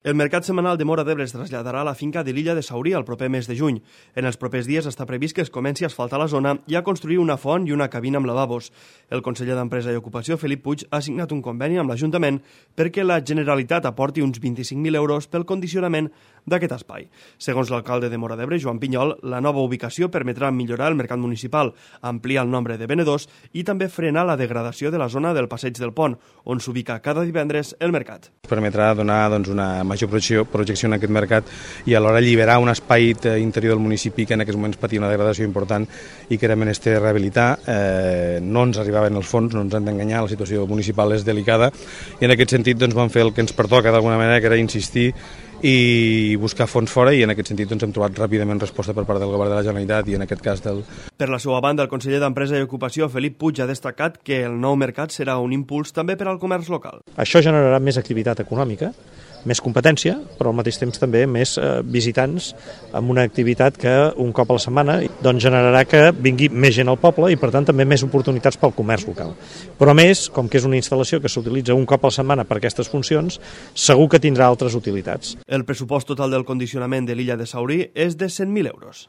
El mercat setmanal de Móra d'Ebre es traslladarà a la finca de l'illa de Saurí el proper mes de juny. En els propers dies està previst que es comenci a asfaltar la zona i a construir una font i una cabina amb lavabos. El conseller d'Empresa i Ocupació, Felip Puig, ha signat un conveni amb l'Ajuntament perquè la Generalitat aporti uns 25.000 euros pel condicionament d'aquest espai. Segons l'alcalde de Móra d'Ebre, Joan Pinyol, la nova ubicació permetrà millorar el mercat municipal, ampliar el nombre de venedors i també frenar la degradació de la zona del Passeig del Pont, on s'ubica cada divendres el mercat. Permetrà donar una major projecció en aquest mercat i alhora alliberar un espai interior del municipi que en aquests moments patia una degradació important i que era menester rehabilitar. No ens arribaven els fons, no ens han d'enganyar, la situació municipal és delicada i en aquest sentit vam fer el que ens pertoca d'alguna manera, que era insistir i buscar fons fora, i en aquest sentit hem trobat ràpidament resposta per part del govern de la Generalitat i en aquest cas del... Per la seva banda, el conseller d'Empresa i Ocupació, Felip Puig, ha destacat que el nou mercat serà un impuls també per al comerç local. Això generarà més activitat econòmica, més competència, però al mateix temps també més visitants amb una activitat que un cop a la setmana generarà que vingui més gent al poble i per tant també més oportunitats pel comerç local. Però a més, com que és una instal·lació que s'utilitza un cop a la setmana per aquestes funcions, segur que tindrà altres utilitats. El pressupost total del condicionament de l'illa de Saurí és de 100.000 euros.